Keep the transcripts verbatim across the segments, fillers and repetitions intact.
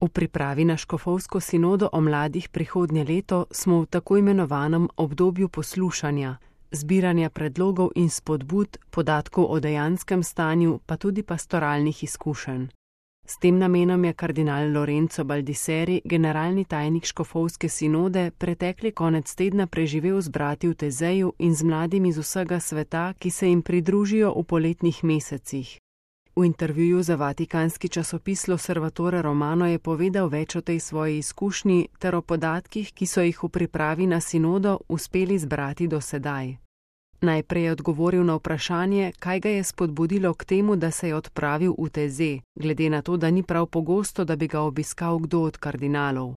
V pripravi na škofovsko sinodo o mladih prihodnje leto smo v tako imenovanem obdobju poslušanja, zbiranja predlogov in spodbud, podatkov o dejanskem stanju, pa tudi pastoralnih izkušenj. S tem namenom je kardinal Lorenzo Baldisseri, generalni tajnik škofovske sinode, pretekli konec tedna preživel z brati v Tezeju in z mladimi z vsega sveta, ki se jim pridružijo v poletnih mesecih. V intervjuju za vatikanski časopis L'Osservatore Romano je povedal več o tej svoji izkušnji ter o podatkih, ki so jih v pripravi na sinodo uspeli zbrati do sedaj. Najprej je odgovoril na vprašanje, kaj ga je spodbudilo k temu, da se je odpravil v Teze, glede na to, da ni prav pogosto, da bi ga obiskal kdo od kardinalov.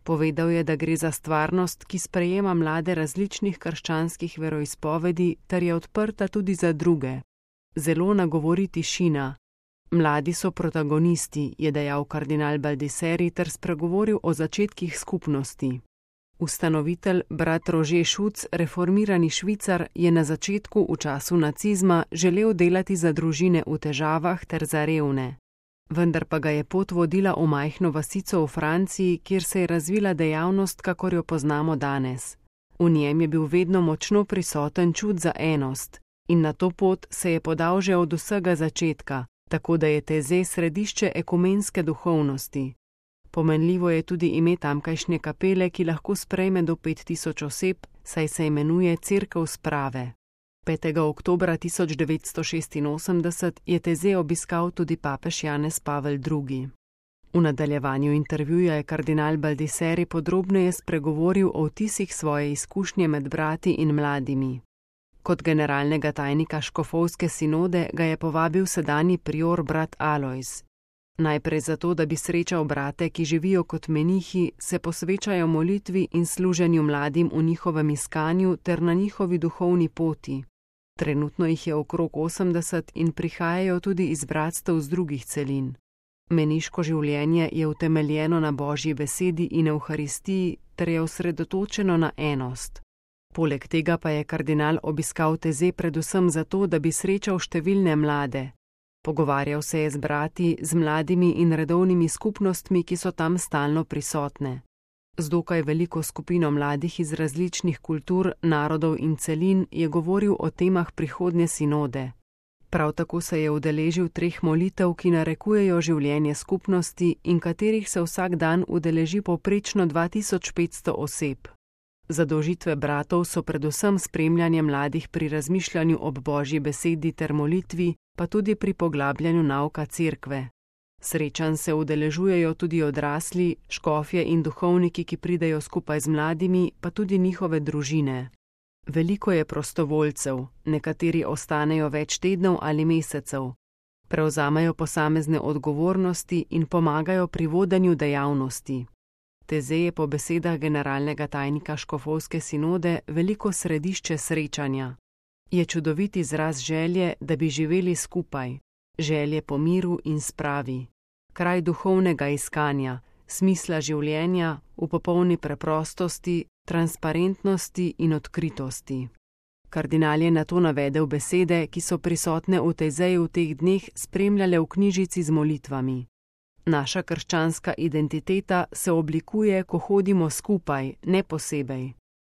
Povedal je, da gre za stvarnost, ki sprejema mlade različnih krščanskih veroizpovedi ter je odprta tudi za druge. Zelo nagovori tišina. Mladi so protagonisti, je dejal kardinal Baldisseri ter spregovoril o začetkih skupnosti. Ustanovitelj brat Rože Šuc, reformirani Švicar, je na začetku v času nacizma želel delati za družine v težavah ter za revne. Vendar pa ga je pot vodila v majhno vasico v Franciji, kjer se je razvila dejavnost, kakor jo poznamo danes. V njem je bil vedno močno prisoten čut za enost in na to pot se je podal že od vsega začetka, tako da je Teze središče ekumenske duhovnosti. Pomenljivo je tudi ime tamkajšnje kapele, ki lahko sprejme do pet tisoč oseb, saj se imenuje Cerkev sprave. petega oktobra tisoč devetsto šestinosemdeset je Teze obiskal tudi papež Janez Pavel drugi. V nadaljevanju intervjuja je kardinal Baldisseri podrobneje spregovoril o vtisih svoje izkušnje med brati in mladimi. Kot generalnega tajnika škofovske sinode ga je povabil sedanji prior brat Alojz. Najprej zato, da bi srečal brate, ki živijo kot menihi, se posvečajo molitvi in služenju mladim v njihovem iskanju ter na njihovi duhovni poti. Trenutno jih je okrog osemdeset in prihajajo tudi iz bratstev z drugih celin. Meniško življenje je utemeljeno na Božji besedi in Evharistiji ter je osredotočeno na enost. Poleg tega pa je kardinal obiskal Teze predvsem zato, da bi srečal številne mlade. Pogovarjal se je z brati, z mladimi in redovnimi skupnostmi, ki so tam stalno prisotne. Z dokaj veliko skupino mladih iz različnih kultur, narodov in celin je govoril o temah prihodnje sinode. Prav tako se je udeležil treh molitev, ki narekujejo življenje skupnosti in katerih se vsak dan udeleži povprečno dva tisoč petsto oseb. Zadolžitve bratov so predvsem spremljanje mladih pri razmišljanju ob Božji besedi ter molitvi, pa tudi pri poglabljanju nauka cerkve. Srečanj se udeležujejo tudi odrasli, škofje in duhovniki, ki pridejo skupaj z mladimi, pa tudi njihove družine. Veliko je prostovoljcev, nekateri ostanejo več tednov ali mesecev. Prevzamejo posamezne odgovornosti in pomagajo pri vodenju dejavnosti. Teze je po besedah generalnega tajnika škofovske sinode veliko središče srečanja. Je čudovit izraz želje, da bi živeli skupaj, želje po miru in spravi, kraj duhovnega iskanja, smisla življenja v popolni preprostosti, transparentnosti in odkritosti. Kardinal je nato navedel besede, ki so prisotne v Tezeju v teh dneh spremljale v knjižici z molitvami. Naša krščanska identiteta se oblikuje, ko hodimo skupaj, ne posebej.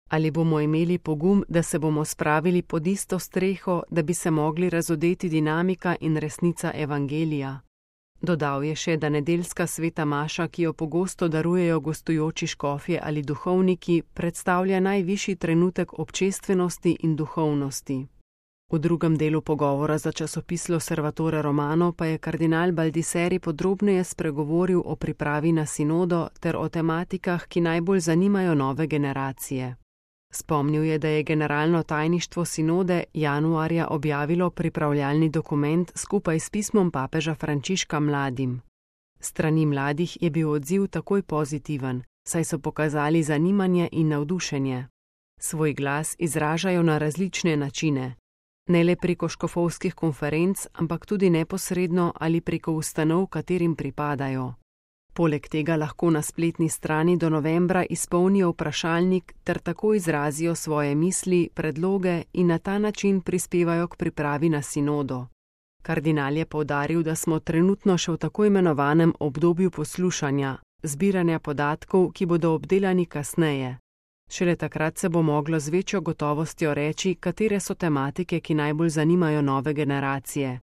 Ali bomo imeli pogum, da se bomo spravili pod isto streho, da bi se mogli razodeti dinamika in resnica evangelija? Dodal je še, da nedeljska sveta maša, ki jo pogosto darujejo gostujoči škofje ali duhovniki, predstavlja najvišji trenutek občestvenosti in duhovnosti. V drugem delu pogovora za časopis L'Osservatore Romano pa je kardinal Baldisseri podrobneje spregovoril o pripravi na sinodo ter o tematikah, ki najbolj zanimajo nove generacije. Spomnil je, da je generalno tajništvo sinode januarja objavilo pripravljalni dokument skupaj s pismom papeža Frančiška mladim. Strani mladih je bil odziv takoj pozitiven, saj so pokazali zanimanje in navdušenje. Svoj glas izražajo na različne načine. Ne le preko škofovskih konferenc, ampak tudi neposredno ali preko ustanov, katerim pripadajo. Poleg tega lahko na spletni strani do novembra izpolnijo vprašalnik ter tako izrazijo svoje misli, predloge in na ta način prispevajo k pripravi na sinodo. Kardinal je poudaril, da smo trenutno še v tako imenovanem obdobju poslušanja, zbiranja podatkov, ki bodo obdelani kasneje. Šele takrat se bo moglo z večjo gotovostjo reči, katere so tematike, ki najbolj zanimajo nove generacije.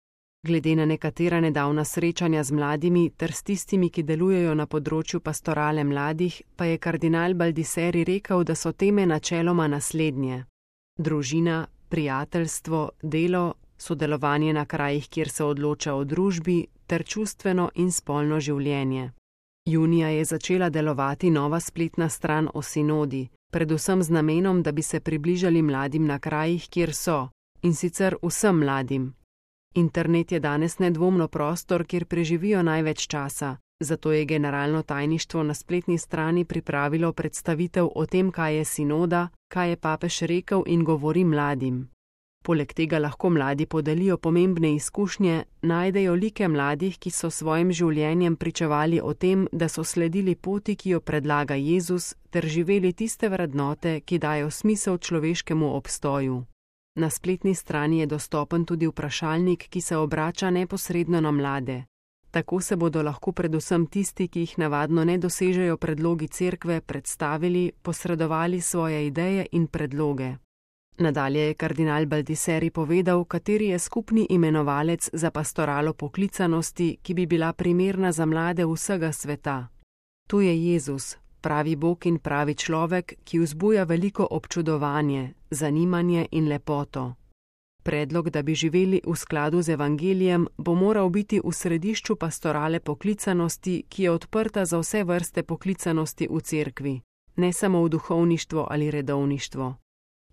Glede na nekatera nedavna srečanja z mladimi ter s tistimi, ki delujejo na področju pastorale mladih, pa je kardinal Baldisseri rekel, da so teme načeloma naslednje: družina, prijateljstvo, delo, sodelovanje na krajih, kjer se odloča o družbi, ter čustveno in spolno življenje. Junija je začela delovati nova spletna stran o sinodi, predvsem z namenom, da bi se približali mladim na krajih, kjer so, in sicer vsem mladim. Internet je danes nedvomno prostor, kjer preživijo največ časa, zato je generalno tajništvo na spletni strani pripravilo predstavitev o tem, kaj je sinoda, kaj je papež rekel in govori mladim. Poleg tega lahko mladi podelijo pomembne izkušnje, najdejo like mladih, ki so svojim življenjem pričevali o tem, da so sledili poti, ki jo predlaga Jezus, ter živeli tiste vrednote, ki dajo smisel človeškemu obstoju. Na spletni strani je dostopen tudi vprašalnik, ki se obrača neposredno na mlade. Tako se bodo lahko predvsem tisti, ki jih navadno ne dosežejo predlogi cerkve, predstavili, posredovali svoje ideje in predloge. Nadalje je kardinal Baldisseri povedal, kateri je skupni imenovalec za pastoralo poklicanosti, ki bi bila primerna za mlade vsega sveta. Tu je Jezus, pravi Bog in pravi človek, ki vzbuja veliko občudovanje, zanimanje in lepoto. Predlog, da bi živeli v skladu z evangelijem, bo moral biti v središču pastorale poklicanosti, ki je odprta za vse vrste poklicanosti v cerkvi, ne samo v duhovništvo ali redovništvo.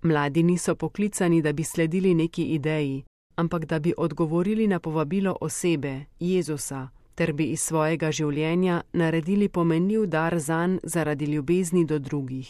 Mladi niso poklicani, da bi sledili neki ideji, ampak da bi odgovorili na povabilo osebe, Jezusa, ter bi iz svojega življenja naredili pomenljiv dar zanj zaradi ljubezni do drugih.